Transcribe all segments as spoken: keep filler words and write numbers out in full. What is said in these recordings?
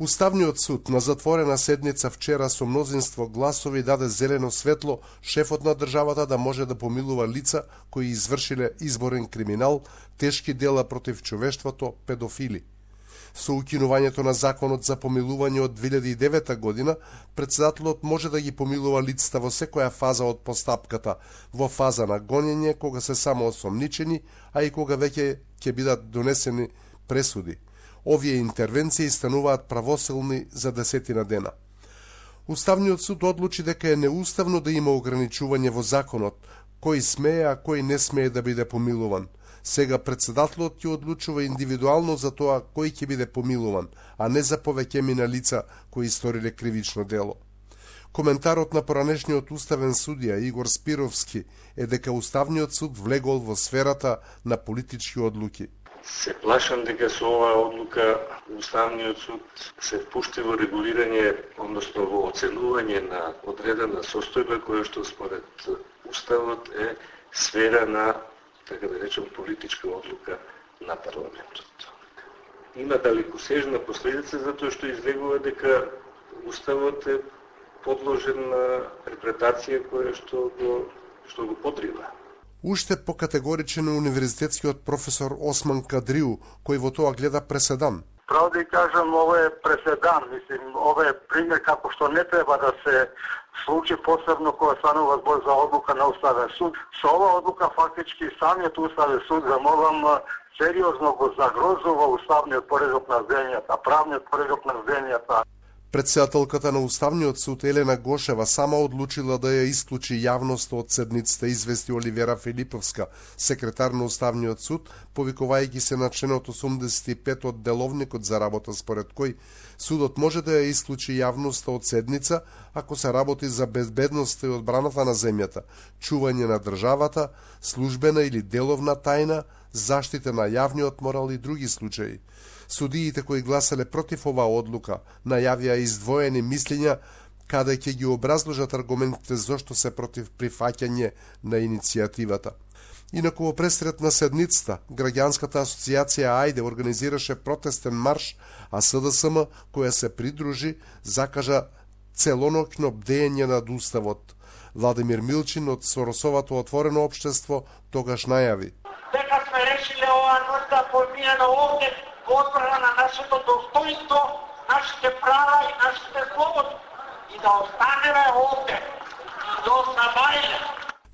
Уставниот суд на затворена седница вчера со мнозинство гласови даде зелено светло шефот на државата да може да помилува лица кои извршиле изборен криминал, тешки дела против човештвото, педофили. Со укинувањето на законот за помилување од две илјади и девета година, председателот може да ги помилува лицата во секоја фаза од постапката, во фаза на гонење, кога се само осомничени, а и кога веќе ќе бидат донесени пресуди. Овие интервенции стануваат правосилни за десетина дена. Уставниот суд одлучи дека е неуставно да има ограничување во законот, кој смее, а кој не смее да биде помилуван. Сега председателот ќе одлучува индивидуално за тоа кој ќе биде помилуван, а не за повеќеми на лица кои сториле кривично дело. Коментарот на поранешниот уставен судија Игор Спировски е дека Уставниот суд влегол во сферата на политички одлуки. Се плашам дека со оваа одлука Уставниот суд се впушти во регулирање, односно во оценување на одредена состојба која што според Уставот е сфера на, така да речем, политичка одлука на парламентот. Има далекосежна последица затоа што излегува дека Уставот е подложен на интерпретација која што го што го подрива. Уште покатегоричен е универзитетскиот професор Осман Кадриу, кој во тоа гледа преседан. Право да кажам, ова е преседан, мислим, ова е пример како што не треба да се случи, посебно кога станува збор за одлука на Уставен суд. Со ова одлука фактички самиот Уставен суд, замолам, сериозно го загрозува уставниот поредок на земјата, правниот поредок на земјата. Председателката на Уставниот суд Елена Гошева сама одлучила да ја исклучи јавноста од седницата, извести Оливера Филиповска, секретар на Уставниот суд, повикувајќи се на членот осумдесет и пет од Деловникот за работа, според кој судот може да ја исклучи јавноста од седница ако се работи за безбедноста и одбраната на земјата, чување на државата, службена или деловна тајна, заштита на јавниот морал и други случаи. Судиите кои гласале против оваа одлука најавија издвоени мислења каде ќе ги образложат аргументите зошто се против прифаќање на иницијативата. Инаку во пресред на седницата, Граѓанската асоциација Ајде организираше протестен марш, а СДСМ, која се придружи, закажа целоноќно бдење над Уставот. Владимир Милчин од Соросовото отворено општество тогаш најави: дека сме решиле оваа ноќ да поминеме овде во одбрана на нашето достоинство, нашите права и нашите слободи и да останеме овде до самајле.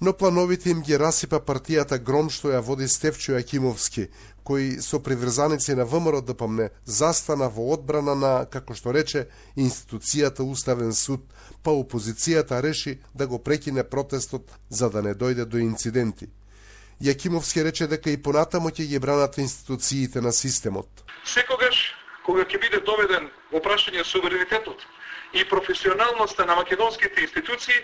Но плановите им ги расипа партијата Гром што ја води Стефчо Јакимовски, кој со приврзаници на ВМРО да помне застана во одбрана на, како што рече, институцијата Уставен суд, па опозицијата реши да го прекине протестот за да не дојде до инциденти. Јакимовски рече дека и понатамо ќе ги бранат институциите на системот. Секогаш, кога ќе биде доведен во прашање суверенитетот и професионалноста на македонските институции,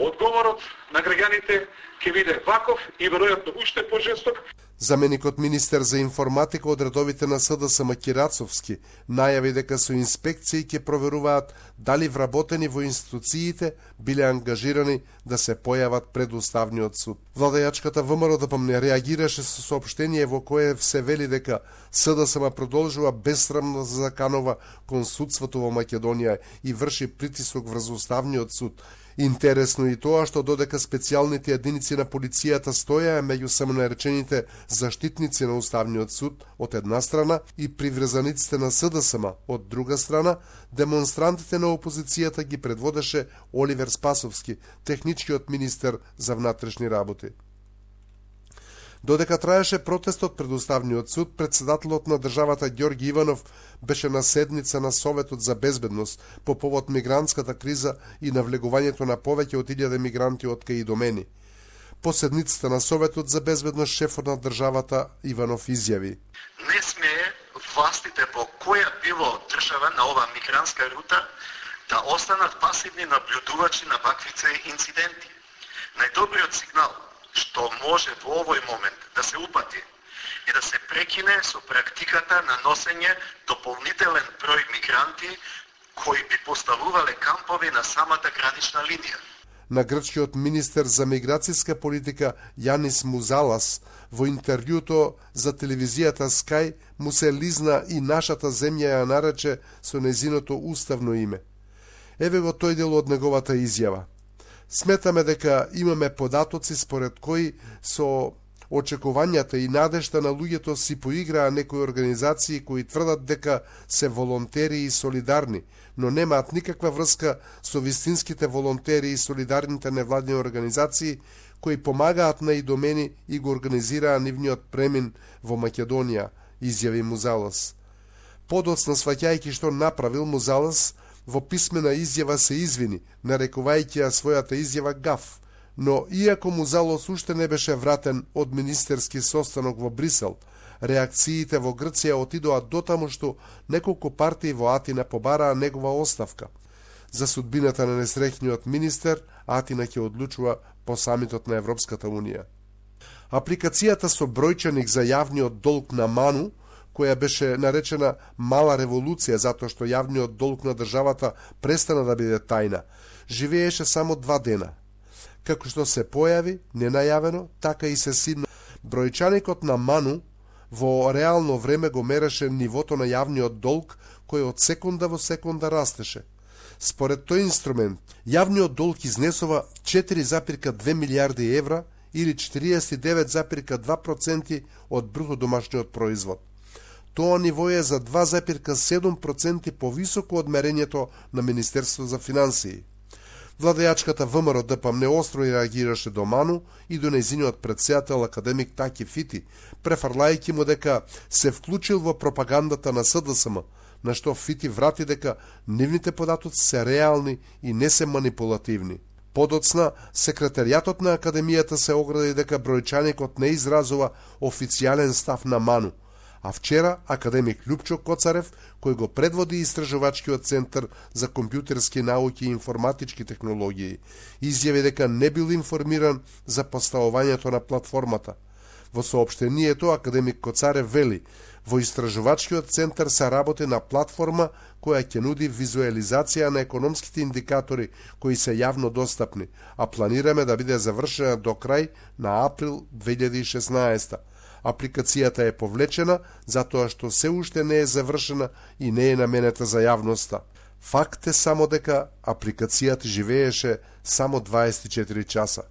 одговорот на граѓаните ќе биде ваков и веројатно уште пожесток. Заменикот министер за информатика од редовите на СДСМ Кирацовски најави дека со инспекции ќе проверуваат дали вработени во институциите биле ангажирани да се појават пред Уставниот суд. Владејачката ВМРО да помне реагираше со соопштение во кое се вели дека СДСМ продолжува бесрамно да заканува кон судството во Македонија и врши притисок врз Уставниот суд. Интересно и тоа што додека специјалните единици на полицијата стоја меѓу самонаречените заштитници на Уставниот суд од една страна и приврзаниците на СДСМ од друга страна, демонстрантите на опозицијата ги предводеше Оливер Спасовски, техничкиот министер за внатрешни работи. Додека траеше протестот пред Уставниот суд, председателот на државата Ѓорги Иванов беше на седница на Советот за безбедност по повод мигрантската криза и навлегувањето на повеќе од илјада мигранти од кај домени. По седницата на Советот за безбедност шефот на државата Иванов изјави: не смее властите по која било држава на оваа мигрантска рута да останат пасивни наблюдувачи на ваквице инциденти. Најдобриот сигнал што може во овој момент да се упати и да се прекине со практиката на носење дополнителен број мигранти кои би поставувале кампови на самата гранична линија. на грчкиот министер за миграцијска политика Јанис Музалас во интервјуто за телевизијата Sky му се лизна и нашата земја ја нарече со незиното уставно име. Еве го тој дел од неговата изјава. Сметаме дека имаме податоци според кои со очекувањата и надежта на луѓето си поиграа некои организации кои тврдат дека се волонтери и солидарни, но немаат никаква врска со вистинските волонтери и солидарните невладини организации кои помагаат на идомени и го организираа нивниот премин во Македонија, изјави Музалас. Подоцна сваќајќи што направил, Музалас во писмена изјава се извини, нарекувајќи ја својата изјава гаф, но иако Музалас уште не беше вратен од министерски состанок во Брисел, реакциите во Грција отидоа дотаму што неколку партии во Атина побараа негова оставка. За судбината на несреќниот министер, Атина ќе одлучува по самитот на Европската Унија. Апликацијата со бројчаник за јавниот долг на Ману, која беше наречена мала револуција затоа што јавниот долг на државата престана да биде тајна, живееше само два дена. Како што се појави, ненајавено, така и се сидна. Бројчаникот на Ману во реално време го мереше нивото на јавниот долг, кој од секунда во секунда растеше. Според тој инструмент, јавниот долг изнесува четири запирка две милијарди евра или четириесет и девет запирка два проценти од бруто домашниот производ. Тоа ниво е за два запирка седум проценти повисоко од мерењето на Министерството за финансии. Владејачката ВМРО Д П М неостро реагираше до Ману и до нејзиниот претседател академик Таки Фити, префрлајќи му дека се вклучил во пропагандата на С Д С М, на што Фити врати дека нивните податоци се реални и не се манипулативни. Подоцна, секретаријатот на академијата се огради дека бројчаникот не изразува официјален став на Ману, а вчера академик Љупчо Коцарев, кој го предводи Истражувачкиот центар за компјутерски науки и информатички технологии, изјави дека не бил информиран за поставувањето на платформата. Во соопштението академик Коцарев вели: во Истражувачкиот центар се работи на платформа која ќе нуди визуализација на економските индикатори кои се јавно достапни, а планираме да биде завршена до крај на април две илјади и шеснаесета. Апликацијата е повлечена затоа што се уште не е завршена и не е наменета за јавноста. Факт е само дека апликацијата живееше само дваесет и четири часа.